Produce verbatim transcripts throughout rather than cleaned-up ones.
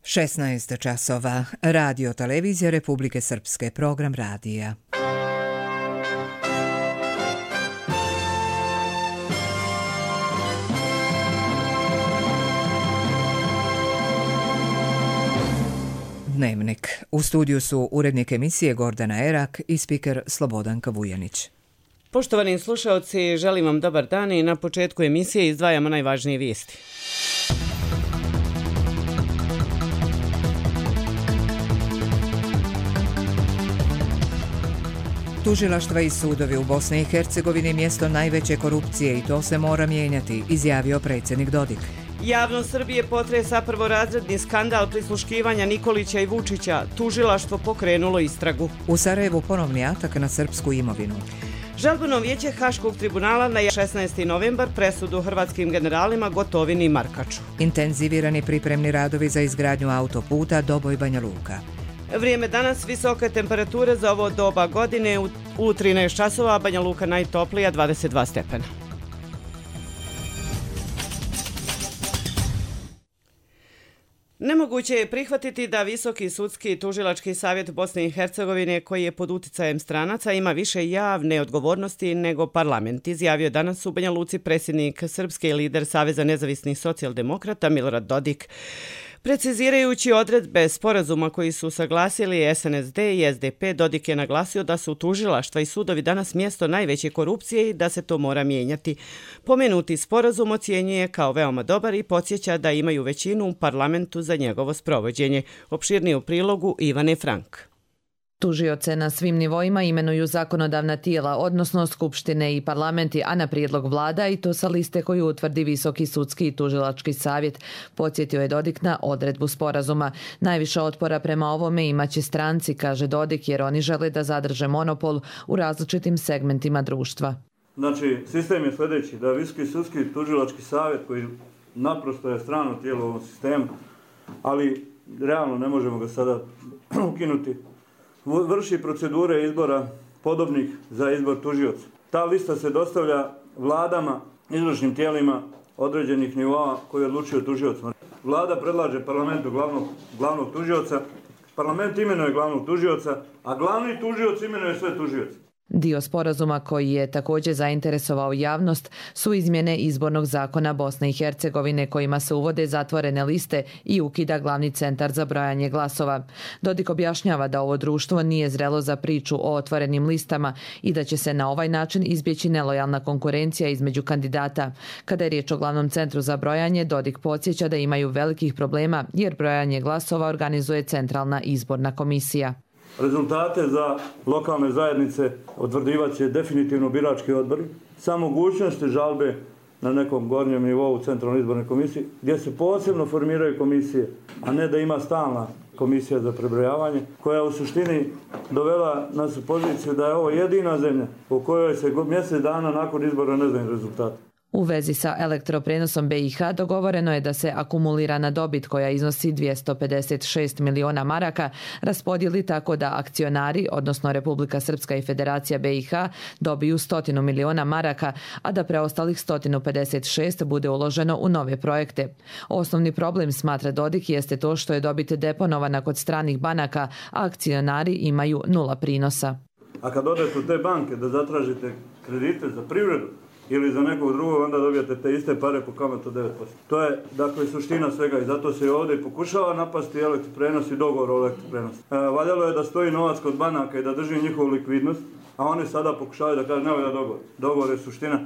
šesnaest časova. Radio televizija Republike Srpske, program radija. Dnevnik. U studiju su urednik emisije Gordana Erak i spiker Slobodanka Vujanić. Poštovani slušaoci, želim vam dobar dan i na početku emisije izdvajamo najvažnije vijesti. Tužilaštva i sudovi u Bosni i Hercegovini mjesto najveće korupcije i to se mora mijenjati, izjavio predsjednik Dodik. Javnost Srbije potresa prvorazredni skandal prisluškivanja Nikolića i Vučića. Tužilaštvo pokrenulo istragu. U Sarajevu ponovni atak na srpsku imovinu. Žalbeno vijeće Haškog tribunala na šesnaesti novembar presudu hrvatskim generalima Gotovini i Markaču. Intenzivirani pripremni radovi za izgradnju autoputa Doboj Banja Luka. Vrijeme danas, visoke temperature za ovo doba godine, u, u trinaest časova, Banja Luka najtoplija dvadeset dva stepena. Nemoguće je prihvatiti da Visoki sudski i tužilački savjet Bosne i Hercegovine, koji je pod uticajem stranaca, ima više javne odgovornosti nego parlament, izjavio danas u Banja Luci predsjednik Srpske i lider Saveza nezavisnih socijaldemokrata Milorad Dodik. Precizirajući odredbe sporazuma koji su saglasili S N S D i S D P, Dodik je naglasio da su tužilaštva i sudovi danas mjesto najveće korupcije i da se to mora mijenjati. Pomenuti sporazum ocjenjuje kao veoma dobar i podsjeća da imaju većinu u parlamentu za njegovo sprovođenje. Opširnije u prilogu Ivane Frank. Tužioce na svim nivoima imenuju zakonodavna tijela, odnosno skupštine i parlamenti, a na prijedlog vlada i to sa liste koju utvrdi Visoki sudski i tužilački savjet, podsjetio je Dodik na odredbu sporazuma. Najviše otpora prema ovome imaće stranci, kaže Dodik, jer oni žele da zadrže monopol u različitim segmentima društva. Znači, sistem je sljedeći, da Visoki sudski i tužilački savjet, koji naprosto je strano tijelo u ovom sistemu, ali realno ne možemo ga sada ukinuti, vrši procedure izbora podobnih za izbor tužioca. Ta lista se dostavlja vladama, izvršnim tijelima određenih nivoa koji odlučuju tužiocima. Vlada predlaže parlamentu glavnog, glavnog tužioca, parlament imenuje glavnog tužioca, a glavni tužioc imenuje sve tužioce. Dio sporazuma koji je također zainteresovao javnost su izmjene izbornog zakona Bosne i Hercegovine kojima se uvode zatvorene liste i ukida glavni centar za brojanje glasova. Dodik objašnjava da ovo društvo nije zrelo za priču o otvorenim listama i da će se na ovaj način izbjeći nelojalna konkurencija između kandidata. Kada je riječ o glavnom centru za brojanje, Dodik podsjeća da imaju velikih problema jer brojanje glasova organizuje Centralna izborna komisija. Rezultate za lokalne zajednice utvrdivat će definitivno birački odbori sa mogućnosti žalbe na nekom gornjem nivou Centralne izborne komisije, gdje se posebno formiraju komisije, a ne da ima stalna komisija za prebrojavanje, koja u suštini dovela nas u poziciju da je ovo jedina zemlja u kojoj se mjesec dana nakon izbora ne znaju rezultati. U vezi sa elektroprenosom B i H dogovoreno je da se akumulirana dobit koja iznosi dvjesto pedeset šest miliona maraka raspodijeli tako da akcionari, odnosno Republika Srpska i Federacija B i H, dobiju stotinu miliona maraka, a da preostalih sto pedeset šest bude uloženo u nove projekte. Osnovni problem, smatra Dodik, jeste to što je dobit deponovana kod stranih banaka, a akcionari imaju nula prinosa. A kad odete u te banke da zatražite kredite za privredu, ili za nekog drugog, onda dobijate te iste pare po kamatu devet posto. To je, dakle, suština svega i zato se ovdje pokušava napasti elektroprenos i dogovor o elektroprenosu. E, valjalo je da stoji novac kod banaka i da drži njihovu likvidnost, a oni sada pokušavaju da kažu ne valja dogovor. Dogovor je suština,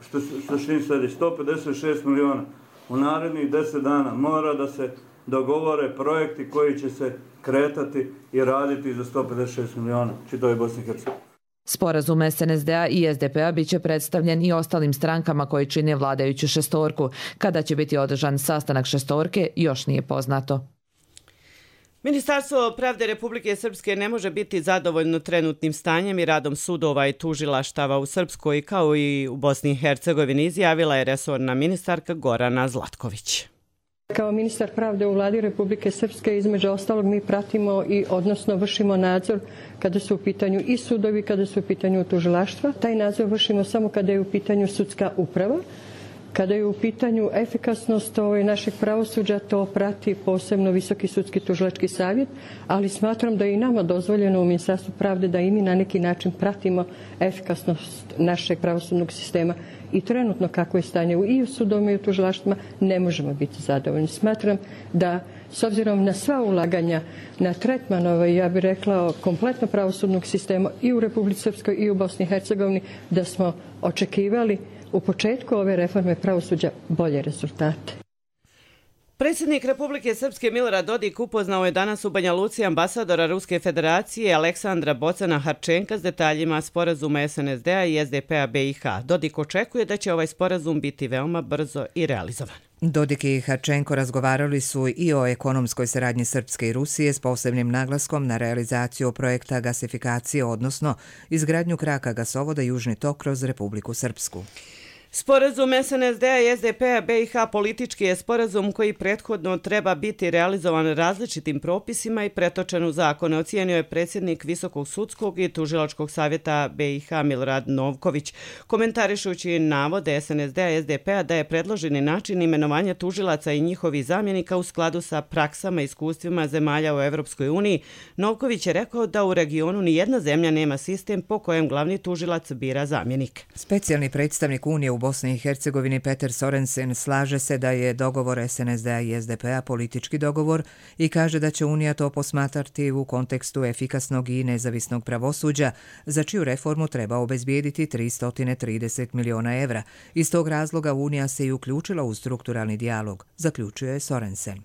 što suštini sledi sto pedeset šest miliona. U narednih deset dana mora da se dogovore projekti koji će se kretati i raditi za sto pedeset šest miliona, čitavoj Bosni i Hercegovini. Sporazum S N S D-a i S D P-a bit će predstavljen i ostalim strankama koji čine vladajuću šestorku. Kada će biti održan sastanak šestorke, još nije poznato. Ministarstvo pravde Republike Srpske ne može biti zadovoljno trenutnim stanjem i radom sudova i tužilaštava u Srpskoj kao i u Bosni i Hercegovini, izjavila je resorna ministarka Gorana Zlatković. Kao ministar pravde u vladi Republike Srpske, između ostalog, mi pratimo i odnosno vršimo nadzor kada su u pitanju i sudovi, kada su u pitanju tužilaštva. Taj nadzor vršimo samo kada je u pitanju sudska uprava. Kada je u pitanju efikasnost ovaj, našeg pravosuđa, to prati posebno Visoki sudski tužilački savjet, ali smatram da je i nama dozvoljeno u Ministarstvu pravde da i mi na neki način pratimo efikasnost našeg pravosudnog sistema. I trenutno kako je stanje i u sudovima i u tužilaštvima ne možemo biti zadovoljni. Smatram da s obzirom na sva ulaganja na tretman, ovaj, ja bih rekla, kompletno pravosudnog sistema i u Republici Srpskoj i u Bosni i Hercegovini, da smo očekivali u početku ove reforme pravosuđa bolje rezultate. Predsjednik Republike Srpske Milorad Dodik upoznao je danas u Banja Luci ambasadora Ruske federacije Aleksandra Bocana Harčenka s detaljima sporazuma S N S D-a i S D P-a B i H. Dodik očekuje da će ovaj sporazum biti veoma brzo i realizovan. Dodik i Harčenko razgovarali su i o ekonomskoj saradnji Srpske i Rusije s posebnim naglaskom na realizaciju projekta gasifikacije, odnosno izgradnju kraka gasovoda Južni tok kroz Republiku Srpsku. Sporazum S N S D-a i S D P-a B i H politički je sporazum koji prethodno treba biti realizovan različitim propisima i pretočen u zakone, ocijenio je predsjednik Visokog sudskog i tužilačkog savjeta B i H Milorad Novković, komentarišući navode S N S D-a i S D P-a da je predloženi način imenovanja tužilaca i njihovih zamjenika u skladu sa praksama i iskustvima zemalja u Evropskoj uniji. Novković je rekao da u regionu ni jedna zemlja nema sistem po kojem glavni tužilac bira zamjenik. Specijalni predstavnik Unije u Bosni i Hercegovini Peter Sorensen slaže se da je dogovor S N S D-a i S D P-a politički dogovor i kaže da će Unija to posmatrati u kontekstu efikasnog i nezavisnog pravosuđa, za čiju reformu treba obezbijediti tristo trideset miliona evra. Iz tog razloga Unija se i uključila u strukturalni dijalog, zaključuje Sorensen.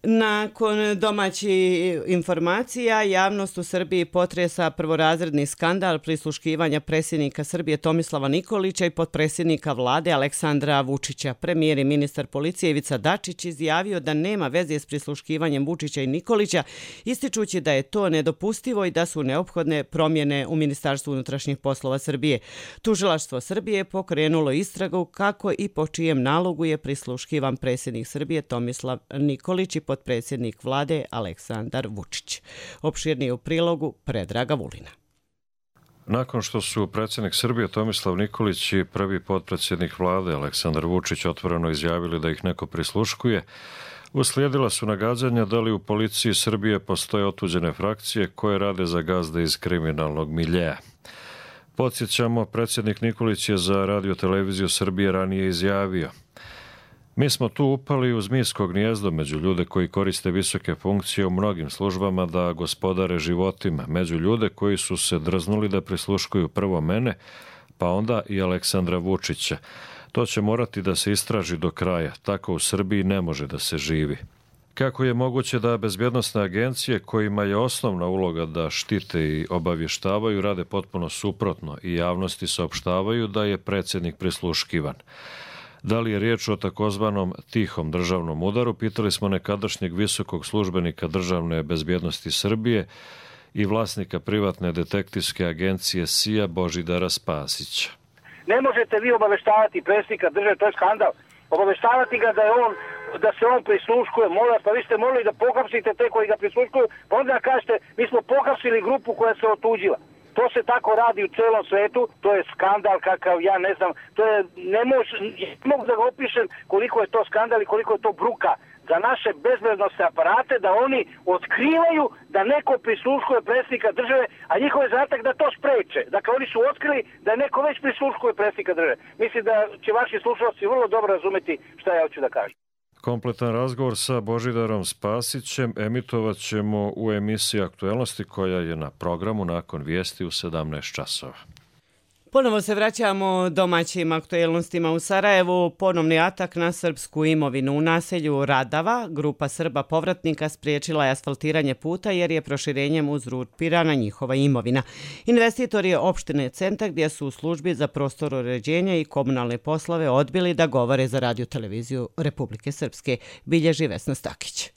Nakon domaćih informacija, javnost u Srbiji potresa prvorazredni skandal prisluškivanja predsjednika Srbije Tomislava Nikolića i potpredsjednika vlade Aleksandra Vučića. Premijer i ministar policije Ivica Dačić izjavio da nema veze s prisluškivanjem Vučića i Nikolića, ističući da je to nedopustivo i da su neophodne promjene u Ministarstvu unutrašnjih poslova Srbije. Tužilaštvo Srbije je pokrenulo istragu kako i po čijem nalogu je prisluškivan predsjednik Srbije Tomislav Nikolić i potpredsjednik vlade Aleksandar Vučić. Opširnije u prilogu Predraga Vulina. Nakon što su predsjednik Srbije Tomislav Nikolić i prvi potpredsjednik vlade Aleksandar Vučić otvoreno izjavili da ih neko prisluškuje, uslijedila su nagađanja da li u policiji Srbije postoje otuđene frakcije koje rade za gazde iz kriminalnog miljeja. Podsjećamo, predsjednik Nikolić je za Radio televiziju Srbije ranije izjavio: mi smo tu upali u zmijsko gnijezdo među ljude koji koriste visoke funkcije u mnogim službama da gospodare životima, među ljude koji su se drznuli da prisluškuju prvo mene, pa onda i Aleksandra Vučića. To će morati da se istraži do kraja, tako u Srbiji ne može da se živi. Kako je moguće da bezbjednosne agencije, kojima je osnovna uloga da štite i obavještavaju, rade potpuno suprotno i javnosti saopštavaju da je predsjednik prisluškivan? Da li je riječ o takozvanom tihom državnom udaru, pitali smo nekadašnjeg visokog službenika državne bezbjednosti Srbije i vlasnika privatne detektivske agencije S I A Božidara Spasića. Ne možete vi obaveštavati predsjednika države, to je skandal. Obaveštavati ga da je on, da se on prisluškuje, molim vas, pa vi ste molili da pohapsite te koji ga prisluškuju, pa onda kažete mi smo pohapsili grupu koja se otuđila. To se tako radi u celom svetu, to je skandal kakav, ja ne znam, to je, ne mož, ne mogu da ga opišem koliko je to skandal i koliko je to bruka za naše bezbednosne aparate, da oni otkrivaju da neko prisluškuje predsjednika države, a njihov je zadatak da to spreče. Dakle, oni su otkrili da neko već prisluškuje predsjednika države. Mislim da će vaši slušalci vrlo dobro razumeti šta ja hoću da kažem. Kompletan razgovor sa Božidarom Spasićem emitovat ćemo u emisiji Aktuelnosti koja je na programu nakon vijesti u sedamnaest časova. Ponovo se vraćamo domaćim aktuelnostima u Sarajevu. Ponovni atak na srpsku imovinu u naselju Radava. Grupa Srba povratnika spriječila je asfaltiranje puta jer je proširenjem uzurpirana njihova imovina. Investitor je opštine Centar gdje su u službi za prostor uređenja i komunalne poslove odbili da govore za Radio televiziju Republike Srpske, bilježi Vesna Stakić.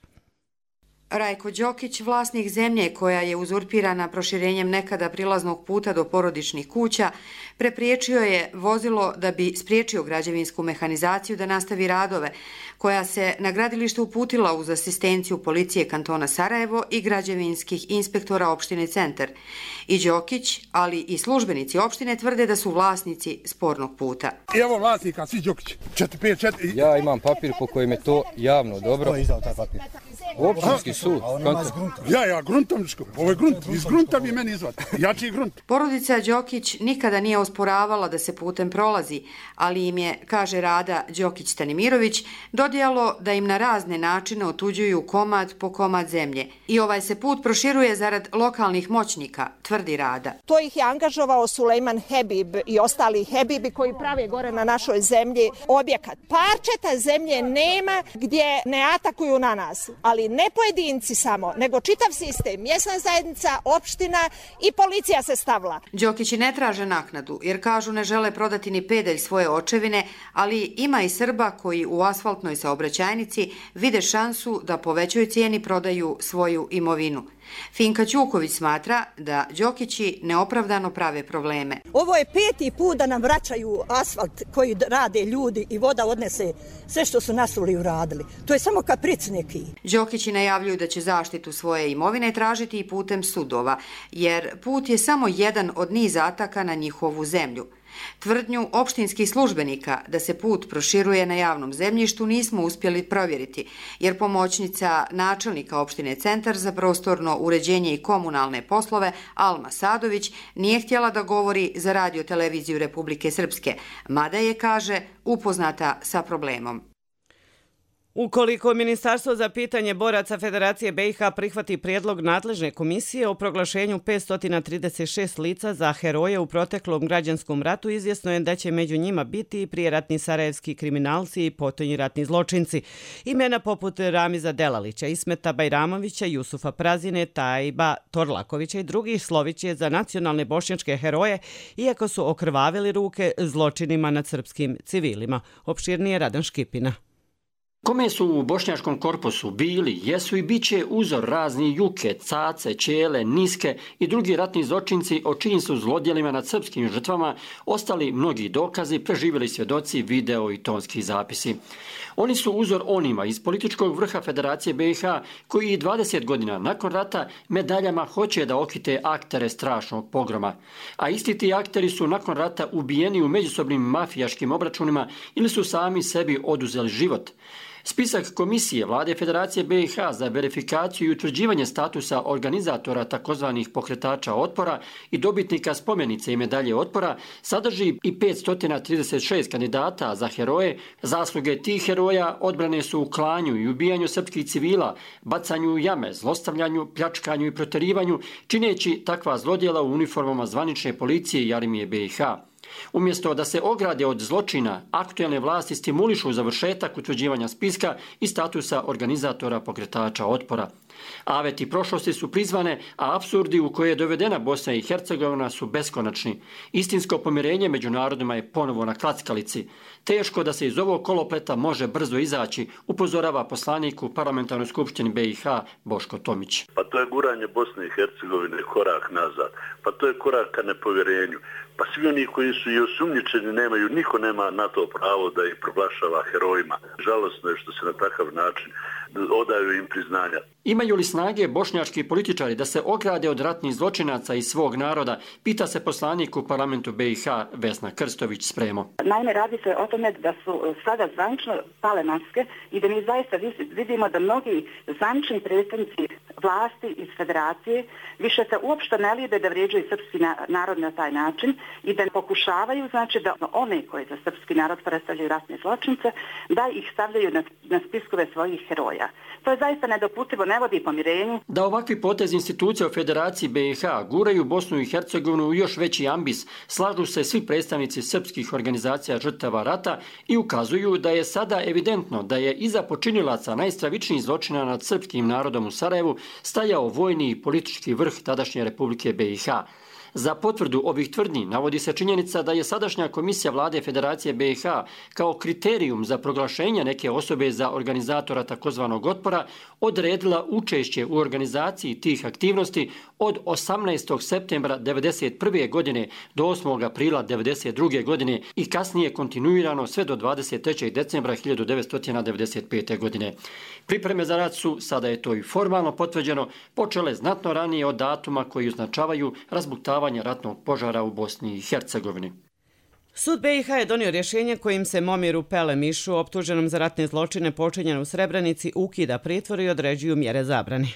Rajko Đokić, vlasnik zemlje koja je uzurpirana proširenjem nekada prilaznog puta do porodičnih kuća, prepriječio je vozilo da bi spriječio građevinsku mehanizaciju da nastavi radove, koja se na gradilište uputila uz asistenciju policije kantona Sarajevo i građevinskih inspektora opštine Centar. I Đokić, ali i službenici opštine tvrde da su vlasnici spornog puta. Evo vlasnika, svi Đokić. četiri pet četiri Ja imam papir po kojem je to javno dobro. Ko je izdao taj papir? Općinski sud. Ja, ja, gruntovničko. Ovo je grunt. Iz grunta bi meni izvati. Jači grunt. Porodica Đokić nikada nije osporavala da se putem prolazi, ali im je, kaže Rada Đokić Stanimirović, dodijalo da im na razne načine otuđuju komad po komad zemlje. I ovaj se put proširuje zarad lokalnih moćnika, tvrdi Rada. To ih je angažovao Sulejman Hebib i ostali Hebibi koji prave gore na našoj zemlji objekat. Parčeta zemlje nema gdje ne atakuju na nas, ali ne pojedinci samo, nego čitav sistem, mjesna zajednica, opština i policija se stavila. Đokići ne traže naknadu, jer kažu ne žele prodati ni pedalj svoje očevine, ali ima i Srba koji u asfaltnoj saobraćajnici vide šansu da po većoj cijeni prodaju svoju imovinu. Finka Ćuković smatra da Đokići neopravdano prave probleme. Ovo je peti put da nam vraćaju asfalt koji rade ljudi i voda odnese sve što su nasuli uradili. To je samo kapric neki. Đokići najavljuju da će zaštitu svoje imovine tražiti i putem sudova, jer put je samo jedan od niza ataka na njihovu zemlju. Tvrdnju opštinskih službenika da se put proširuje na javnom zemljištu nismo uspjeli provjeriti, jer pomoćnica načelnika opštine Centar za prostorno uređenje i komunalne poslove Alma Sadović nije htjela da govori za Radio-televiziju Republike Srpske, mada je, kaže, upoznata sa problemom. Ukoliko Ministarstvo za pitanje boraca Federacije B i H prihvati prijedlog nadležne komisije o proglašenju petsto trideset šest lica za heroje u proteklom građanskom ratu, izvjesno je da će među njima biti i prijeratni sarajevski kriminalci i potonji ratni zločinci. Imena poput Ramiza Delalića, Ismeta Bajramovića, Jusufa Prazine, Tajba Torlakovića i drugih slović je za nacionalne bošnjačke heroje, iako su okrvavili ruke zločinima nad srpskim civilima. Opširnije Radan Škipina. Kome su u bošnjačkom korpusu bili, jesu i bit će uzor razni Juke, Cace, Čele, Niske i drugi ratni zločinci o čijim su zlodjelima nad srpskim žrtvama ostali mnogi dokazi, preživjeli svjedoci, video i tonski zapisi. Oni su uzor onima iz političkog vrha Federacije B i H koji i dvadeset godina nakon rata medaljama hoće da okite aktere strašnog pogroma. A isti ti akteri su nakon rata ubijeni u međusobnim mafijaškim obračunima ili su sami sebi oduzeli život. Spisak komisije Vlade Federacije B i H za verifikaciju i utvrđivanje statusa organizatora takozvanih pokretača otpora i dobitnika spomenice i medalje otpora sadrži i petsto trideset šest kandidata za heroje. Zasluge tih heroja odbrane su u klanju i ubijanju srpskih civila, bacanju u jame, zlostavljanju, pljačkanju i proterivanju, čineći takva zlodjela u uniformama zvanične policije i armije B i H. Umjesto da se ograde od zločina, aktuelne vlasti stimulišu završetak utvrđivanja spiska i statusa organizatora pokretača otpora. Aveti prošlosti su prizvane, a apsurdi u koje je dovedena Bosna i Hercegovina su beskonačni. Istinsko pomirenje među narodima je ponovo na klackalici. Teško da se iz ovog kolopleta može brzo izaći, upozorava poslanik u Parlamentarnoj skupštini B i H Boško Tomić. Pa to je guranje Bosne i Hercegovine korak nazad, pa to je korak ka nepovjerenju. Pa svi oni koji su i osumnjičeni nemaju, niko nema na to pravo da ih proglašava herojima. Žalosno je što se na takav način odaju im priznanja. Imaju li snage bošnjački političari da se ograde od ratnih zločinaca iz svog naroda, pita se poslanik u parlamentu B i H Vesna Krstović Spremo. Naime, radi se o tome da su sada zvanično pale maske i da mi zaista vidimo da mnogi zvanični predstavnici vlasti iz federacije više se uopšte ne lijede da vrijeđaju srpski narod na taj način i da pokušavaju, znači, da one koji za srpski narod predstavljaju ratne zločince, da ih stavljaju na, na spiskove svojih heroja. To je zaista nedopustivo, ne vodi pomirenju. Da ovakvi potez institucija u Federaciji B i H guraju Bosnu i Hercegovinu u još veći ambis, slažu se svi predstavnici srpskih organizacija žrtava rata i ukazuju da je sada evidentno da je iza počinilaca najstravičnijih zločina nad srpskim narodom u Sarajevu stajao vojni i politički vrh tadašnje Republike B i H. Za potvrdu ovih tvrdnji navodi se činjenica da je sadašnja komisija vlade Federacije B i H kao kriterijum za proglašenje neke osobe za organizatora takozvanog otpora odredila učešće u organizaciji tih aktivnosti od osamnaestog septembra devedeset prve. godine do osmog aprila devedeset druge. godine i kasnije kontinuirano sve do dvadeset trećeg decembra hiljadu devetsto devedeset pete. godine. Pripreme za rat su, sada je to i formalno potvrđeno, počele znatno ranije od datuma koji označavaju razbuktavanje ratnog požara u Bosni i Hercegovini. Sud B i H je donio rješenje kojim se Momiru Pelemišu, optuženom za ratne zločine počinjene u Srebrenici, ukida pritvor i određuju mjere zabrane.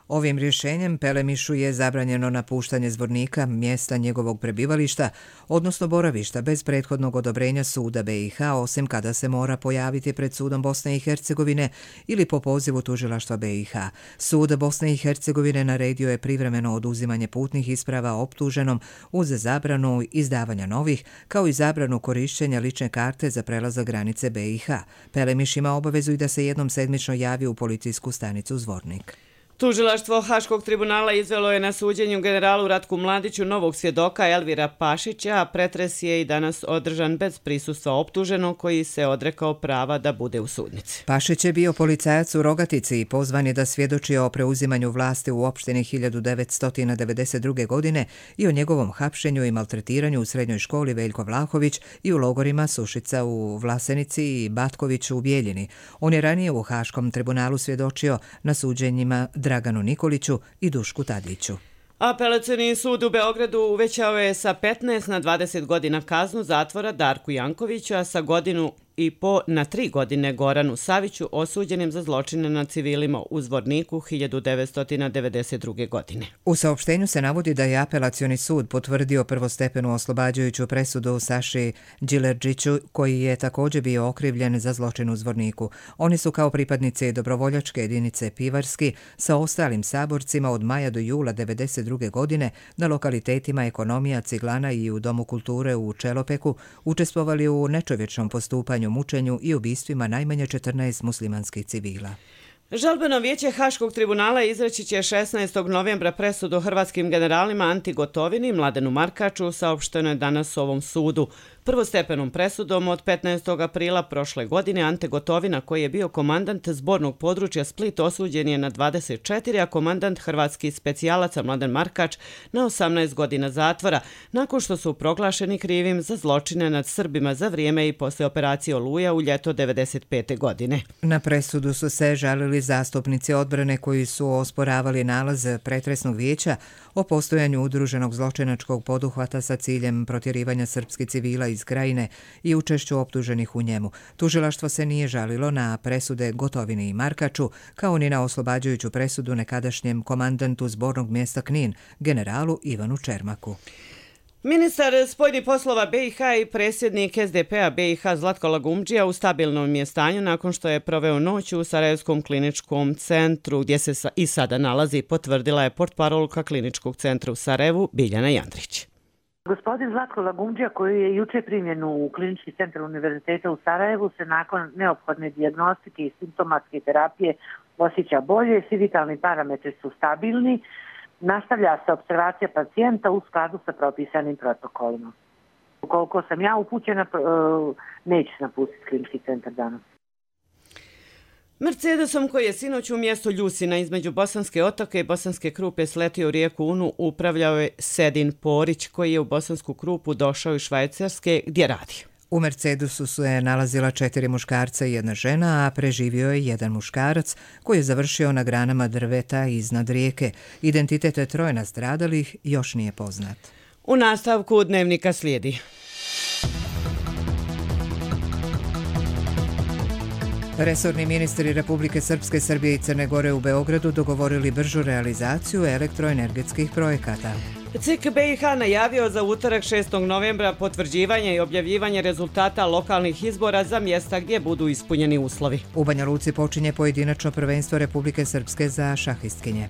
Ovim rješenjem Pelemišu je zabranjeno napuštanje Zvornika, mjesta njegovog prebivališta, odnosno boravišta, bez prethodnog odobrenja suda B i H, osim kada se mora pojaviti pred sudom Bosne i Hercegovine ili po pozivu tužilaštva B i H. Sud Bosne i Hercegovine naredio je privremeno oduzimanje putnih isprava optuženom uz zabranu izdavanja novih, kao i zabranu korišćenja lične karte za prelazak granice B i H. Pelemiš ima obavezu i da se jednom sedmično javi u policijsku stanicu Zvornik. Tužilaštvo Haškog tribunala izvelo je na suđenju generalu Ratku Mladiću novog svjedoka Elvira Pašića, a pretres je i danas održan bez prisustva optuženog koji se odrekao prava da bude u sudnici. Pašić je bio policajac u Rogatici i pozvan je da svjedoči o preuzimanju vlasti u opštini hiljadu devetsto devedeset druge. godine i o njegovom hapšenju i maltretiranju u srednjoj školi Veljko Vlahović i u logorima Sušica u Vlasenici i Batković u Bijeljini. On je ranije u Haškom tribunalu svjedočio na suđenjima Draganu Nikoliću i Dušku Tadliću. Apelacioni sud u Beogradu uvećao je sa petnaest na dvadeset godina kaznu zatvora Darku Jankoviću, a sa godinu i po na tri godine Goranu Saviću, osuđenim za zločine nad civilima u Zvorniku hiljadu devetsto devedeset druge. godine. U saopštenju se navodi da je apelacioni sud potvrdio prvostepenu oslobađajuću presudu Saši Đilerđiću, koji je također bio okrivljen za zločin u Zvorniku. Oni su kao pripadnici dobrovoljačke jedinice Pivarski sa ostalim saborcima od maja do jula devedeset druge. godine na lokalitetima Ekonomija, Ciglana i u Domu kulture u Čelopeku učestvovali u nečovječnom postupanju, mučenju i ubistvima najmanje četrnaest muslimanskih civila. Žalbeno vijeće Haškog tribunala izreći će šesnaestog novembra presudu hrvatskim generalima Anti Gotovini i Mladenu Markaču, saopšteno je danas ovom sudu. Prvostepenom presudom od petnaestog aprila prošle godine Ante Gotovina, koji je bio komandant zbornog područja Split, osuđen je na dvadeset četiri, a komandant hrvatskih specijalaca Mladen Markač na osamnaest godina zatvora, nakon što su proglašeni krivim za zločine nad Srbima za vrijeme i posle operacije Oluja u ljeto devedeset pete. godine. Na presudu su se žalili zastupnici odbrane koji su osporavali nalaz pretresnog vijeća o postojanju udruženog zločinačkog poduhvata sa ciljem protjerivanja srpskih civila iz krajine i učešću optuženih u njemu. Tužilaštvo se nije žalilo na presude Gotovini i Markaču, kao ni na oslobađajuću presudu nekadašnjem komandantu zbornog mjesta Knin, generalu Ivanu Čermaku. Ministar spoljnih poslova B i H i predsjednik S D P-a B i H Zlatko Lagumdžija u stabilnom je stanju nakon što je proveo noć u Sarajevskom kliničkom centru gdje se i sada nalazi, potvrdila je portparolka kliničkog centra u Sarajevu Biljana Jandrić. Gospodin Zlatko Lagumdžija, koji je juče primjen u klinički centar Univerziteta u Sarajevu, se nakon neophodne dijagnostike i simptomatske terapije osjeća bolje, svi vitalni parametri su stabilni. Nastavlja se opservacija pacijenta u skladu sa propisanim protokolima. Ukoliko sam ja upućena, neće se napustiti klinički centar danas. Mercedesom koji je sinoć u mjestu Ljusina između Bosanske Otoke i Bosanske Krupe sletio u rijeku Unu upravljao je Sedin Porić, koji je u Bosansku Krupu došao iz Švajcarske gdje radi. U Mercedesu su je nalazila četiri muškarca i jedna žena, a preživio je jedan muškarac koji je završio na granama drveta iznad rijeke. Identitet troje nastradalih još nije poznat. U nastavku dnevnika slijedi. Resorni ministri Republike Srpske, Srbije i Crne Gore u Beogradu dogovorili bržu realizaciju elektroenergetskih projekata. C I K B i H najavio za utorak šestog novembra potvrđivanje i objavljivanje rezultata lokalnih izbora za mjesta gdje budu ispunjeni uslovi. U Banja Luci počinje pojedinačno prvenstvo Republike Srpske za šahistkinje.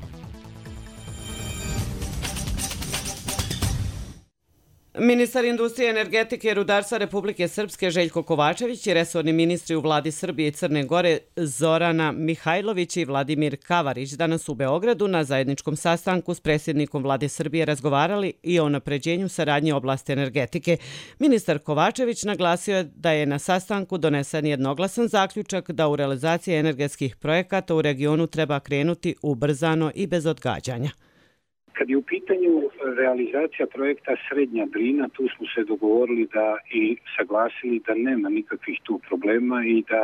Ministar industrije, energetike i rudarstva Republike Srpske Željko Kovačević i resorni ministri u vladi Srbije i Crne Gore Zorana Mihajlović i Vladimir Kavarić danas u Beogradu na zajedničkom sastanku s predsjednikom vlade Srbije razgovarali i o napređenju saradnje u oblasti energetike. Ministar Kovačević naglasio je da je na sastanku donesen jednoglasan zaključak da u realizaciji energetskih projekata u regionu treba krenuti ubrzano i bez odgađanja. Kad je u pitanju realizacija projekta Srednja Drina, tu smo se dogovorili da i saglasili da nema nikakvih tu problema i da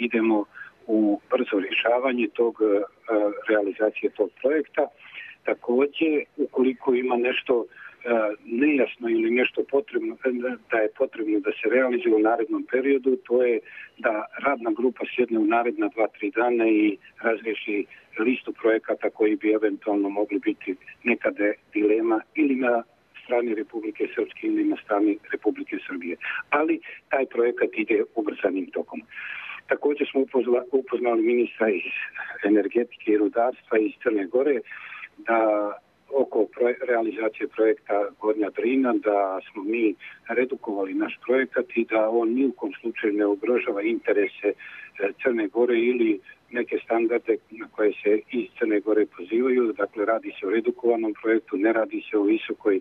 idemo u brzo rješavanje tog realizacije tog projekta. Također, ukoliko ima nešto nejasno ili nešto potrebno, da je potrebno da se realizuje u narednom periodu, to je da radna grupa sjedne u naredna dva, tri dana i razriješi listu projekata koji bi eventualno mogli biti nekada dilema ili na strani Republike Srpske ili na strani Republike Srbije. Ali taj projekat ide ubrzanim tokom. Također smo upoznali ministra iz energetike i rudarstva iz Crne Gore da oko realizacije projekta Gornja Drina, da smo mi redukovali naš projekat i da on ni u kom slučaju ne ugrožava interese Crne Gore ili neke standarde na koje se iz Crne Gore pozivaju. Dakle, radi se o redukovanom projektu, ne radi se o visokoj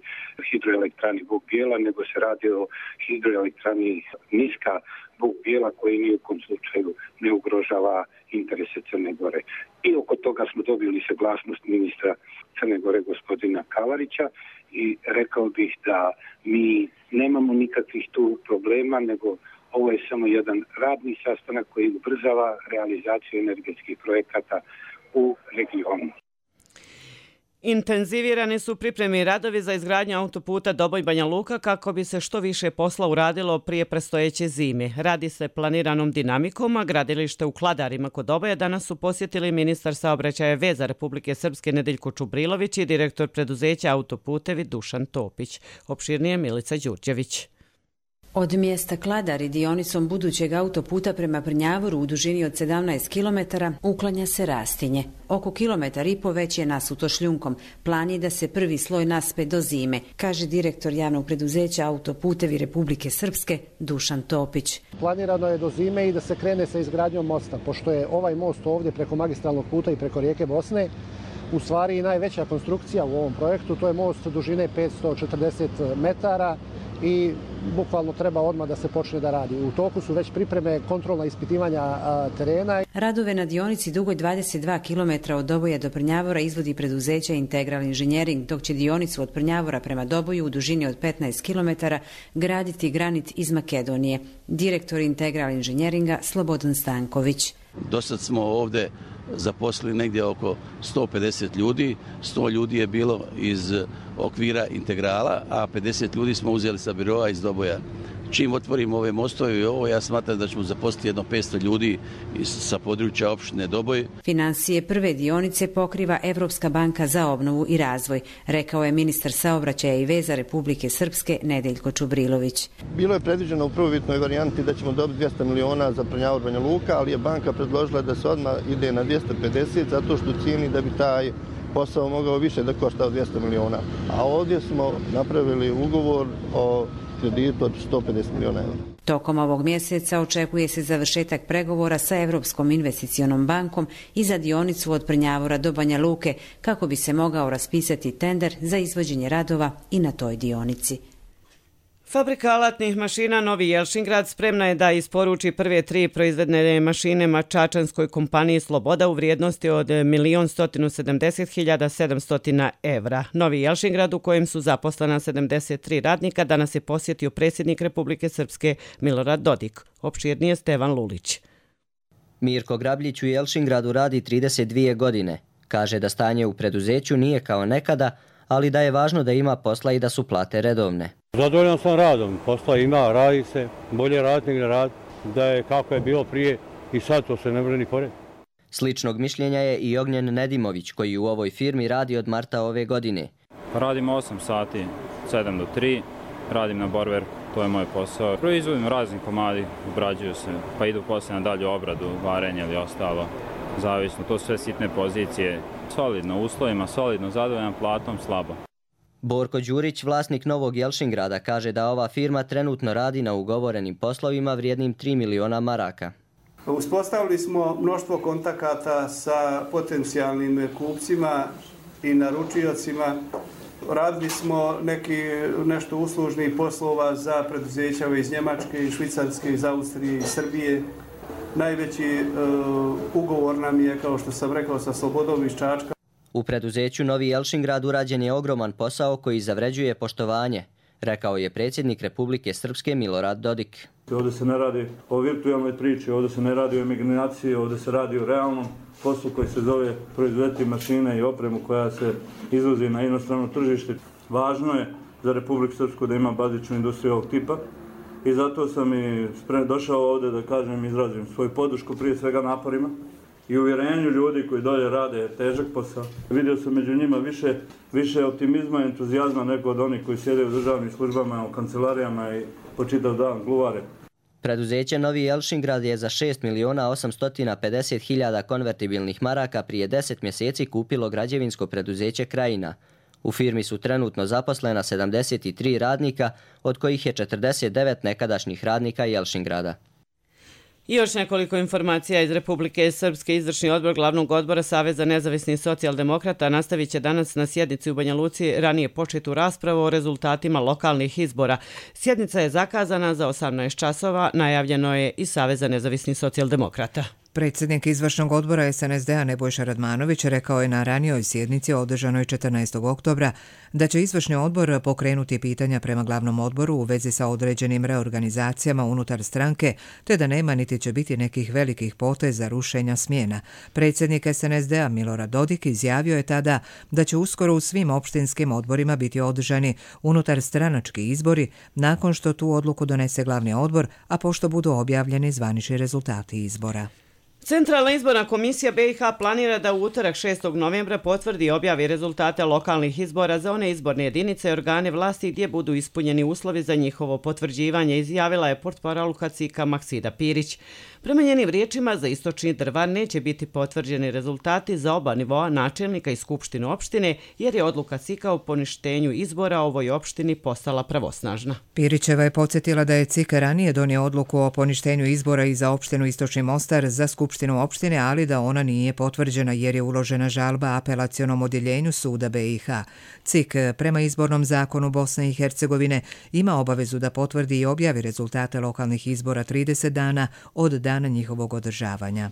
hidroelektrani Buk Bijela, nego se radi o hidroelektrani niska Buk Bijela koji ni u kom slučaju ne ugrožava interese Crne Gore. I oko toga smo dobili saglasnost ministra Crne Gore gospodina Kavarića i rekao bih da mi nemamo nikakvih tu problema, nego ovo je samo jedan radni sastanak koji ubrzava realizaciju energetskih projekata u regionu. Intenzivirani su pripremi radovi za izgradnju autoputa Doboj-Banja Luka kako bi se što više posla uradilo prije predstojeće zime. Radi se planiranom dinamikom, a gradilište u Kladarima kod Doboja danas su posjetili ministar saobraćaja i veza Republike Srpske Nedeljko Čubrilović i direktor preduzeća Autoputevi Dušan Topić. Opširnije Milica Đurđević. Od mjesta Kladari dionicom budućeg autoputa prema Prnjavoru u dužini od sedamnaest kilometara uklanja se rastinje. Oko kilometar i po već je nasuto šljunkom. Plan je da se prvi sloj naspe do zime, kaže direktor javnog preduzeća Autoputevi Republike Srpske Dušan Topić. Planirano je do zime i da se krene sa izgradnjom mosta, pošto je ovaj most ovdje preko magistralnog puta i preko rijeke Bosne u stvari i najveća konstrukcija u ovom projektu. To je most dužine petsto četrdeset metara i bukvalno treba odmah da se počne da radi. U toku su već pripreme kontrolna ispitivanja a, terena. Radove na dionici dugoj dvadeset dva kilometra od Doboja do Prnjavora izvodi preduzeće Integral Inženjering, dok će dionicu od Prnjavora prema Doboju u dužini od petnaest kilometara graditi Granit iz Makedonije. Direktor Integral Inženjeringa Slobodan Stanković. Dosad smo ovdje zaposlili negdje oko sto pedeset ljudi, sto ljudi je bilo iz okvira Integrala, a pedeset ljudi smo uzeli sa biroa iz Doboja. Čim otvorimo ove mostove i ovo, ja smatram da ćemo zaposliti jedno petsto ljudi sa područja opštine Doboj. Financije prve dionice pokriva Evropska banka za obnovu i razvoj, rekao je ministar saobraćaja i veza Republike Srpske Nedeljko Čubrilović. Bilo je predviđeno u prvobitnoj varijanti da ćemo dobiti dvjesto miliona za Prnjavor Banja Luka, ali je banka predložila da se odmah ide na dvjesto pedeset zato što cijeni da bi taj posao mogao više da košta od dvjesto miliona. A ovdje smo napravili ugovor o kreditu od sto pedeset miliona eura. Tokom ovog mjeseca očekuje se završetak pregovora sa Evropskom investicionom bankom i za dionicu od Prnjavora do Banja Luke kako bi se mogao raspisati tender za izvođenje radova i na toj dionici. Fabrika alatnih mašina Novi Jelšingrad spremna je da isporuči prve tri proizvedene mašine mačačanskoj kompaniji Sloboda u vrijednosti od milion sto sedamdeset hiljada sedamsto evra. Novi Jelšingrad, u kojem su zaposlena sedamdeset tri radnika, danas je posjetio predsjednik Republike Srpske Milorad Dodik. Opširnije Stevan Lulić. Mirko Grabljić u Jelšingradu radi trideset dvije godine. Kaže da stanje u preduzeću nije kao nekada, ali da je važno da ima posla i da su plate redovne. Zadovoljan sam radom, posla ima, radi se, bolje raditi nego rad, da je kako je bilo prije i sad to se ne može ni pored. Sličnog mišljenja je i Ognjen Nedimović, koji u ovoj firmi radi od marta ove godine. Radim osam sati, sedam do tri, radim na borverku, to je moj posao. Proizvodim razni komadi, obrađuju se, pa idu poslije na dalju obradu, varenje ili ostalo, zavisno, to sve sitne pozicije. Solidno uslovima, solidno, zadovoljan platom, slabo. Borko Đurić, vlasnik Novog Jelšingrada, kaže da ova firma trenutno radi na ugovorenim poslovima vrijednim tri miliona maraka. Uspostavili smo mnoštvo kontakata sa potencijalnim kupcima i naručiocima. Radili smo neki nešto uslužnih poslova za preduzeća iz Njemačke, iz Švicarske, iz Austrije, iz Srbije. Najveći uh, ugovor nam je, kao što sam rekao, sa Slobodom iz Čačka. U preduzeću Novi Jelšingrad urađen je ogroman posao koji zavređuje poštovanje, rekao je predsjednik Republike Srpske Milorad Dodik. Ovdje se ne radi o virtualnoj priči, ovdje se ne radi o imaginaciji, ovdje se radi o realnom poslu koji se zove proizvoditi mašine i opremu koja se izvozi na inostrano tržište. Važno je za Republiku Srpsku da ima bazičnu industriju ovog tipa i zato sam i došao ovdje da kažem, izrazim svoju podršku prije svega naporima i uvjerenju ljudi koji dolje rade težak posao. Vidio sam među njima više, više optimizma i entuzijazma nego od onih koji sjede u državnim službama, u kancelarijama i po čitav dan gluvare. Preduzeće Novi Jelšingrad je za šest miliona osamsto pedeset hiljada konvertibilnih maraka prije deset mjeseci kupilo građevinsko preduzeće Krajina. U firmi su trenutno zaposlena sedamdeset tri radnika, od kojih je četrdeset devet nekadašnjih radnika Jelšingrada. I još nekoliko informacija iz Republike Srpske. Izvršni odbor Glavnog odbora Saveza nezavisnih socijaldemokrata nastavit će danas na sjednici u Banja Luci ranije početu raspravu o rezultatima lokalnih izbora. Sjednica je zakazana za osamnaest časova, najavljeno je i Saveza nezavisnih socijaldemokrata. Predsjednik izvršnog odbora es en es de a Nebojša Radmanović rekao je na ranijoj sjednici održanoj četrnaestog oktobra da će izvršni odbor pokrenuti pitanja prema glavnom odboru u vezi sa određenim reorganizacijama unutar stranke, te da nema niti će biti nekih velikih poteza rušenja smjena. Predsjednik es en es de a Milorad Dodik izjavio je tada da će uskoro u svim opštinskim odborima biti održani unutar stranački izbori nakon što tu odluku donese glavni odbor, a pošto budu objavljeni zvanični rezultati izbora. Centralna izborna komisija be i ha planira da u utorak šestog novembra potvrdi i objavi rezultate lokalnih izbora za one izborne jedinice i organe vlasti gdje budu ispunjeni uslovi za njihovo potvrđivanje, izjavila je portparolka C I K-a Maksida Pirić. Prema njenim riječima, za istočni Drvar neće biti potvrđeni rezultati za oba nivoa načelnika i skupštine opštine, jer je odluka C I K-a o poništenju izbora ovoj opštini postala pravosnažna. Pirićeva je podsjetila da je C I K ranije donio odluku o poništenju izbora i za opštinu Istočni Mostar za skupštinu opštine, ali da ona nije potvrđena jer je uložena žalba apelacionom odjeljenju suda be i ha. C I K prema izbornom zakonu Bosne i Hercegovine ima obavezu da potvrdi i objavi rezultate lokalnih izbora trideset dana od dana njihovog održavanja.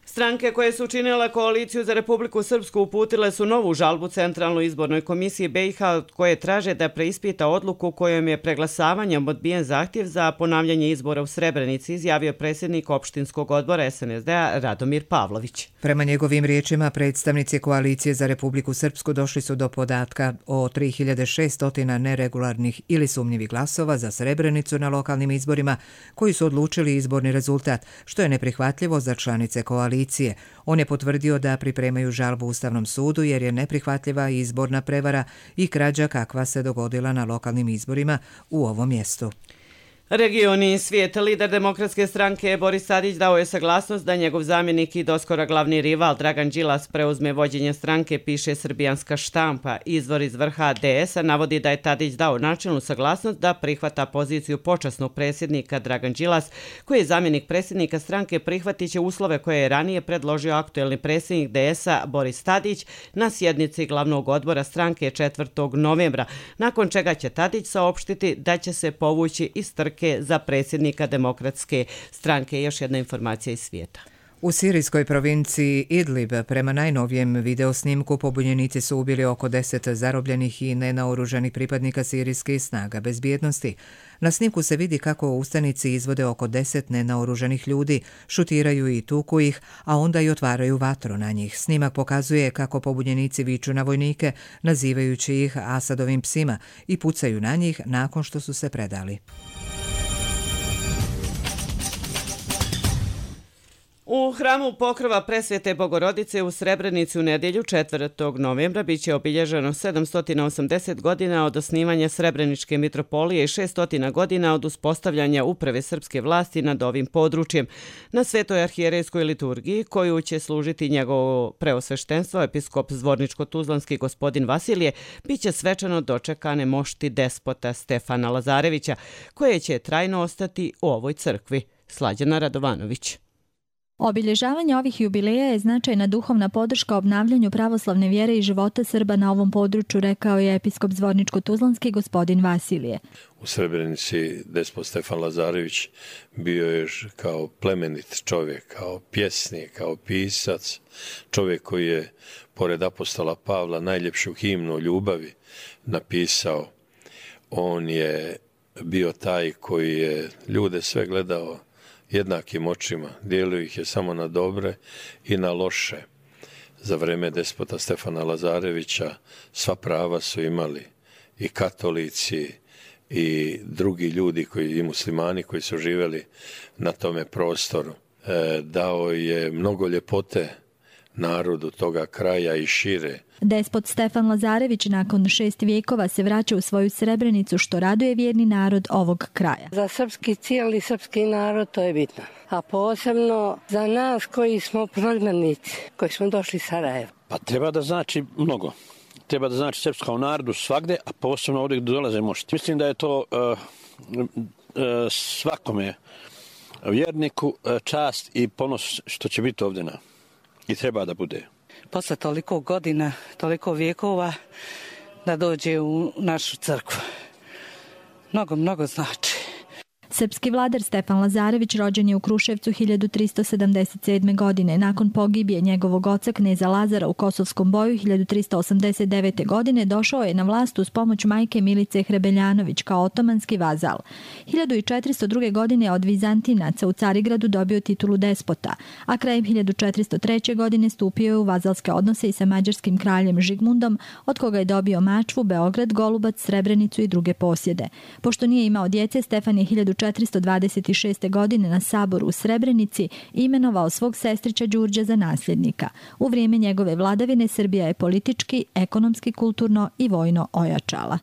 Stranke koje su učinile koaliciju za Republiku Srpsku uputile su novu žalbu Centralnoj izbornoj komisiji be i ha koje traže da preispita odluku kojom je preglasavanjem odbijen zahtjev za ponavljanje izbora u Srebrenici, izjavio predsjednik opštinskog odbora es en es de a Radomir Pavlović. Prema njegovim riječima, predstavnici koalicije za Republiku Srpsku došli su do podatka o tri hiljade šesto neregularnih ili sumnjivih glasova za Srebrenicu na lokalnim izborima koji su odlučili izborni rezultat, što je neprihvatljivo za članice koalicije. On je potvrdio da pripremaju žalbu Ustavnom sudu jer je neprihvatljiva izborna prevara i krađa kakva se dogodila na lokalnim izborima u ovom mjestu. Regioni svijet, lider demokratske stranke Boris Tadić dao je saglasnost da njegov zamjenik i doskora glavni rival Dragan Đilas preuzme vođenje stranke, piše srbijanska štampa. Izvor iz vrha de es a navodi da je Tadić dao načelnu saglasnost da prihvata poziciju počasnog predsjednika. Dragan Đilas, koji je zamjenik predsjednika stranke, prihvatit će uslove koje je ranije predložio aktuelni predsjednik de es a Boris Tadić na sjednici glavnog odbora stranke četvrtog novembra, nakon čega će Tadić saopštiti da će se povući iz trke za predsjednika demokratske stranke. Još jedna informacija iz svijeta. U sirijskoj provinciji Idlib, prema najnovijem videosnimku, pobunjenici su ubili oko deset zarobljenih i nenaoružanih pripadnika sirijskih snaga bezbjednosti. Na snimku se vidi kako ustanici izvode oko deset nenaoružanih ljudi, šutiraju i tuku ih, a onda i otvaraju vatru na njih. Snimak pokazuje kako pobunjenici viču na vojnike, nazivajući ih Asadovim psima, i pucaju na njih nakon što su se predali. U hramu Pokrova Presvete Bogorodice u Srebrenici u nedjelju četvrtog novembra biće obilježeno sedamsto osamdeset godina od osnivanja Srebreničke mitropolije i šesto godina od uspostavljanja uprave srpske vlasti nad ovim područjem. Na Svetoj arhijerejskoj liturgiji, koju će služiti njegovo preosveštenstvo, episkop Zvorničko-Tuzlanski gospodin Vasilije, biće svečano dočekane mošti despota Stefana Lazarevića, koje će trajno ostati u ovoj crkvi. Slađana Radovanović. Obilježavanje ovih jubileja je značajna duhovna podrška obnavljanju pravoslavne vjere i života Srba na ovom području, rekao je episkop Zvorničko-Tuzlanski gospodin Vasilije. U Srebrenici despot Stefan Lazarević bio je kao plemenit čovjek, kao pjesnik, kao pisac, čovjek koji je, pored apostola Pavla, najljepšu himnu ljubavi napisao. On je bio taj koji je ljude sve gledao jednakim očima, dijelio ih je samo na dobre i na loše. Za vreme despota Stefana Lazarevića sva prava su imali i katolici i drugi ljudi koji, i muslimani koji su živjeli na tome prostoru. E, dao je mnogo ljepote narodu toga kraja i šire. Despot Stefan Lazarević nakon šest vijekova se vraća u svoju Srebrenicu, što raduje vjerni narod ovog kraja. Za srpski cijeli srpski narod to je bitno, a posebno za nas koji smo prognanici, koji smo došli iz Sarajeva. Pa treba da znači mnogo. Treba da znači srpskom narodu svagde, a posebno ovdje gdje dolaze mošti. Mislim da je to uh, uh, svakome vjerniku uh, čast i ponos što će biti ovdje na. I treba da bude. Posle toliko godina, toliko vijekova da dođe u našu crkvu. Mnogo, mnogo znači. Srpski vladar Stefan Lazarević rođen je u Kruševcu hiljadu tristo sedamdeset sedme. godine. Nakon pogibije njegovog oca kneza Lazara u Kosovskom boju hiljadu tristo osamdeset devete. godine došao je na vlast uz pomoć majke Milice Hrebeljanović kao otomanski vazal. hiljadu četiristo druge. godine od Vizantinaca u Carigradu dobio titulu despota, a krajem hiljadu četiristo treće. godine stupio je u vazalske odnose i sa mađarskim kraljem Žigmundom, od koga je dobio Mačvu, Beograd, Golubac, Srebrenicu i druge posjede. Pošto nije imao djece, Stefan je hiljadu četiristo dvadeset šeste. godine na saboru u Srebrenici imenovao svog sestrića Đurđa za nasljednika. U vrijeme njegove vladavine Srbija je politički, ekonomski, kulturno i vojno ojačala.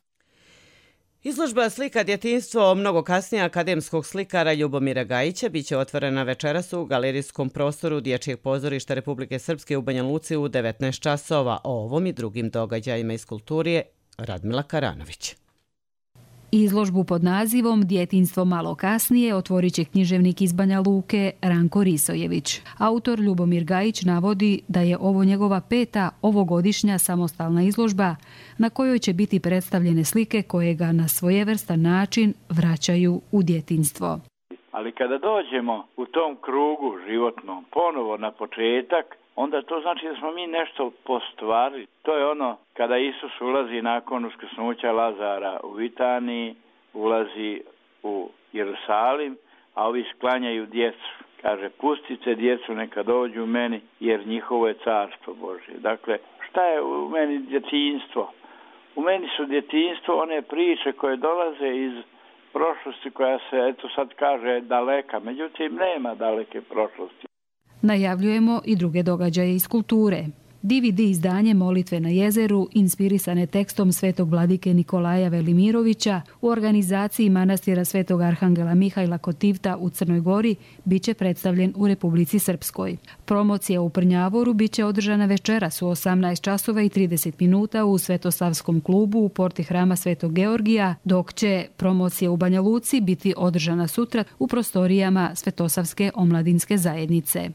Izložba slika djetinjstvo mnogo kasnije akademskog slikara Ljubomira Gajića biće otvorena večeras u galerijskom prostoru Dječjeg pozorišta Republike Srpske u Banja Luci u devetnaest časova. O ovom i drugim događajima iz kulturije Radmila Karanović. Izložbu pod nazivom Djetinjstvo malo kasnije otvorit će književnik iz Banja Luke Ranko Risojević. Autor Ljubomir Gajić navodi da je ovo njegova peta ovogodišnja samostalna izložba na kojoj će biti predstavljene slike koje ga na svojevrstan način vraćaju u djetinjstvo. Ali kada dođemo u tom krugu životnom ponovo na početak, onda to znači da smo mi nešto postvarili. To je ono kada Isus ulazi nakon uskrsnuća Lazara u Vitaniji, ulazi u Jerusalim, a ovi sklanjaju djecu. Kaže, pustite djecu neka dođu meni, jer njihovo je carstvo Božje. Dakle, šta je u meni djetinjstvo? U meni su djetinjstvo one priče koje dolaze iz prošlosti koja se, eto sad kaže, daleka. Međutim, nema daleke prošlosti. Najavljujemo i druge događaje iz kulture. D V D izdanje Molitve na jezeru, inspirisane tekstom svetog vladike Nikolaja Velimirovića u organizaciji manastira svetog arhangela Mihajla Kotivta u Crnoj Gori, biće predstavljen u Republici Srpskoj. Promocija u Prnjavoru biće održana večeras u osamnaest časova i trideset minuta u Svetosavskom klubu u porti hrama Svetog Georgija, dok će promocija u Banja Luci biti održana sutra u prostorijama Svetosavske omladinske zajednice.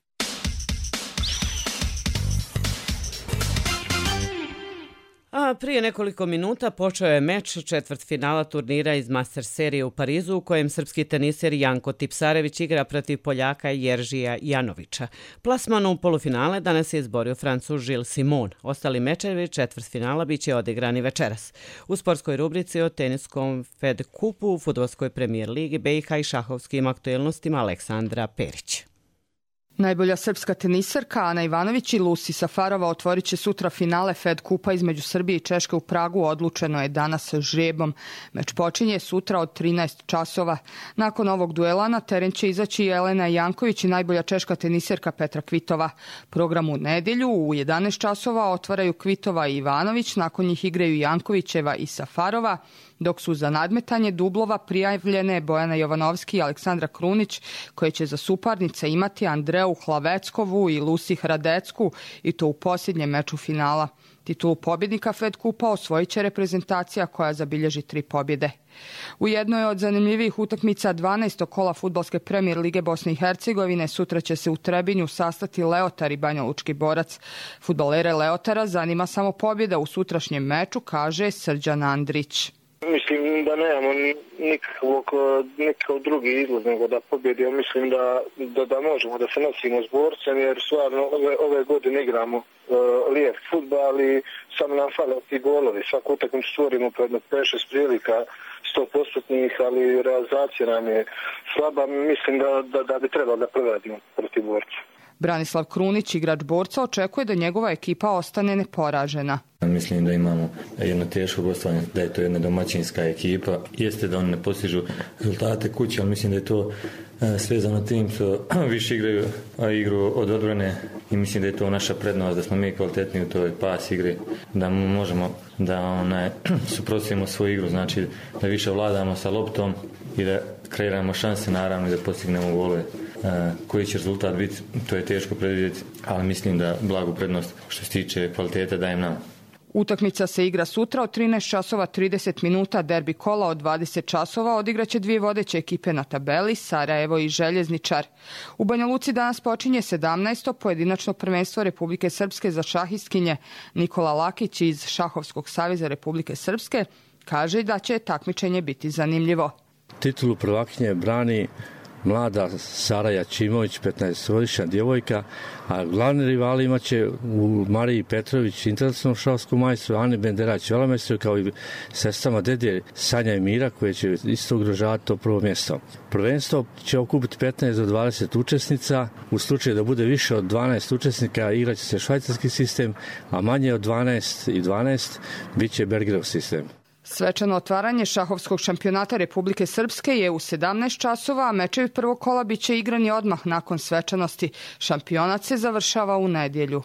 A prije nekoliko minuta počeo je meč četvrtfinala turnira iz Master serije u Parizu u kojem srpski teniser Janko Tipsarević igra protiv Poljaka Jeržija Janovića. Plasman u polufinale danas je izborio Francuz Gilles Simon. Ostali mečevi četvrtfinala biće odigrani večeras. U sportskoj rubrici o teniskom Fed Kupu, fudbalskoj premijer ligi B i H i šahovskim aktuelnostima Aleksandra Perić. Najbolja srpska teniserka Ana Ivanović i Lucy Safarova otvorit će sutra finale Fed kupa između Srbije i Češke u Pragu. Odlučeno je danas žrebom. Meč počinje sutra od trinaest časova. Nakon ovog duela na teren će izaći Jelena Janković i najbolja češka teniserka Petra Kvitova. Program u nedjelju u jedanaest časova otvaraju Kvitova i Ivanović, nakon njih igraju Jankovićeva i Safarova, dok su za nadmetanje dublova prijavljene Bojana Jovanovski i Aleksandra Krunić, koje će za suparnice imati Andreu Hlaveckovu i Lusi Hradecku, i to u posljednjem meču finala. Titulu pobjednika Fed kupa osvojit će reprezentacija koja zabilježi tri pobjede. U jednoj od zanimljivijih utakmica dvanaestog kola fudbalske premijer lige Bosne i Hercegovine sutra će se u Trebinju sastati Leotar i Banjalučki Borac. Fudbalere Leotara zanima samo pobjeda u sutrašnjem meču, kaže Srđan Andrić. Mislim da nemamo nikakvog, nikakav drugi izlaz nego da pobjedimo. Mislim da, da, da možemo da se nosimo s Borcem, jer stvarno ove, ove godine igramo uh, lijep fudbal i samo nam fale ti golovi. Svaku utakmicu stvorimo pred pet šest prilika sto posto, ali realizacija nam je slaba. Mislim da, da, da bi trebalo da provedimo protiv Borca. Branislav Krunić, igrač Borca, očekuje da njegova ekipa ostane neporažena. Mislim da imamo jedno teško gostovanje, da je to jedna domaćinska ekipa. Jeste da oni ne postižu rezultate kuće, ali mislim da je to svezano tim što više igraju igru od odbrane i mislim da je to naša prednost, da smo mi kvalitetni u toj pas igri, da možemo da onaj, suprotstavimo svoju igru, znači da više vladamo sa loptom i da kreiramo šanse, naravno, i da postignemo golove. Koji će rezultat biti, to je teško predvidjeti, ali mislim da blagu prednost što se tiče kvalitete dajem nam. Utakmica se igra sutra od trinaest časova trideset minuta, derbi kola od dvadeset časova odigraće dvije vodeće ekipe na tabeli, Sarajevo i Željezničar. U Banja Luci danas počinje sedamnaesto pojedinačno prvenstvo Republike Srpske za šahistkinje. Nikola Lakić iz Šahovskog saveza Republike Srpske kaže da će takmičenje biti zanimljivo. Titulu prvakinje brani mlada Sara Jačimović, petnaestogodišnja djevojka, a glavni rivali imaće u Mariji Petrović, internacionalnom šahovskom majstru, Ani Benderać, velemajstru, kao i sestrama Dedje Sanja i Mira, koje će isto ugrožavati to prvo mjesto. Prvenstvo će okupiti petnaest do dvadeset učesnica. U slučaju da bude više od dvanaest učesnika, igraće se švajcarski sistem, a manje od dvanaest i dvanaest bit će Bergerov sistem. Svečano otvaranje šahovskog šampionata Republike Srpske je u sedamnaest časova, a mečevi prvog kola bit će igrani odmah nakon svečanosti. Šampionat se završava u nedjelju.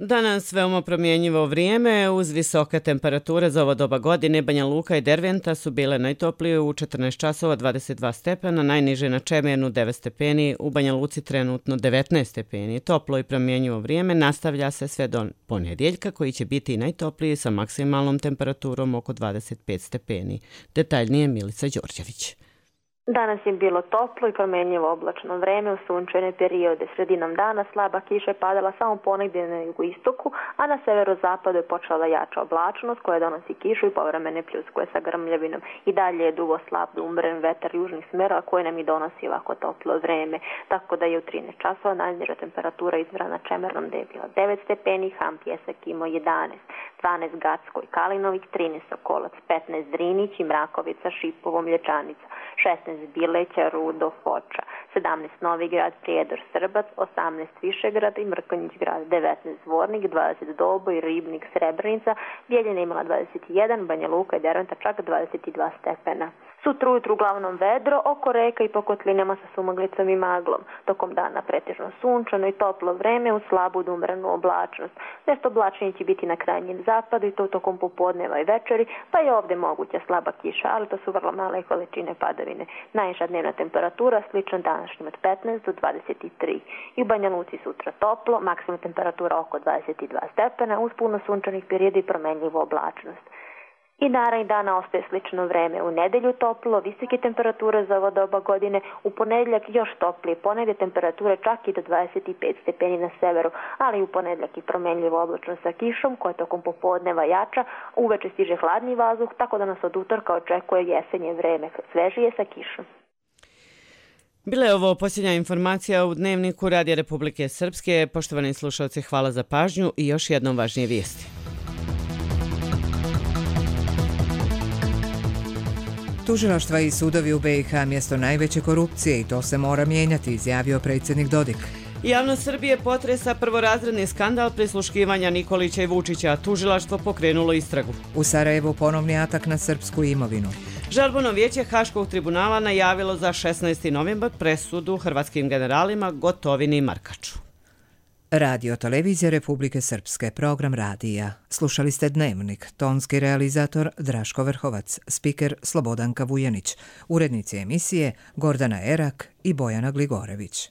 Danas veoma promjenjivo vrijeme, uz visoke temperature za ovo doba godine. Banja Luka i Derventa su bile najtoplije u četrnaest časova dvadeset dva stepena, najniže na Čemernu devet stepeni, u Banja Luci trenutno devetnaest stepeni. Toplo i promjenjivo vrijeme nastavlja se sve do ponedjeljka, koji će biti najtopliji sa maksimalnom temperaturom oko dvadeset pet stepeni. Detaljnije Milica Đorđević. Danas je bilo toplo i promjenjivo oblačno vreme u sunčane periode. Sredinom dana slaba kiša je padala samo ponegdje na jugoistoku, a na severozapadu je počela jača oblačnost koja donosi kišu i povremene pljuskuje sa grmljavinom. I dalje je dugo slab da umeren vetar južnih smjerova koji nam i donosi ovako toplo vreme. Tako da je u trinaest časova najniža temperatura izmjera na Čemernom gdje je bila devet stepeni, Ham Pjesak imao jedanaest, dvanaest Gacko i Kalinović, trinaest Sokolac, petnaest Drinić i Mrakovica, Šipovo, Mlječanica, šesnaest Bileća, Rudo, Foča, sedamnaest Novi Grad, Prijedor, Srbac, osamnaest Višegrad i Mrkonjić grad, devetnaest Zvornik, dvadeset Doboj, Ribnik, Srebrenica, Bijeljina imala dvadeset jedan, Banja Luka i Derventa čak dvadeset dva stepena. Sutra ujutru uglavnom vedro, oko reka i po kotlinama sa sumaglicom i maglom. Tokom dana pretežno sunčano i toplo vreme uz slabu do umrenu oblačnost. Nešto oblačenje će biti na krajnjem zapadu i to tokom popodneva i večeri, pa je ovdje moguća slaba kiša, ali to su vrlo male količine padavine. Najniža dnevna temperatura slična današnjim od petnaest do dvadeset tri. I u Banja Luci sutra toplo, maksimum temperatura oko dvadeset dva stepena uz puno sunčanih perioda i promenljivu oblačnost. I narednih dana ostaje slično vreme. U nedelju toplo, visoke temperature za ovo doba godine, u ponedjeljak još toplije, ponegdje temperature čak i do dvadeset pet stepeni na severu, ali u ponedjeljak i promenljivo oblačno sa kišom, koja tokom popodneva jača, uveče stiže hladni vazduh, tako da nas od utorka očekuje jesenje vreme, svežije sa kišom. Bila je ovo posljednja informacija u Dnevniku Radija Republike Srpske. Poštovani slušalci, hvala za pažnju i još jednom važnije vijesti. Tužilaštva i sudovi u B i H mjesto najveće korupcije i to se mora mijenjati, izjavio predsjednik Dodik. Javnost Srbije potresa prvorazredni skandal prisluškivanja Nikolića i Vučića. Tužilaštvo pokrenulo istragu. U Sarajevu ponovni atak na srpsku imovinu. Žalbeno vijeće Haškog tribunala najavilo za šesnaesti novembar presudu hrvatskim generalima Gotovini i Markaču. Radio Televizija Republike Srpske, program radija. Slušali ste Dnevnik, tonski realizator Draško Vrhovac, spiker Slobodanka Vujanić, urednici emisije Gordana Erak i Bojana Gligorević.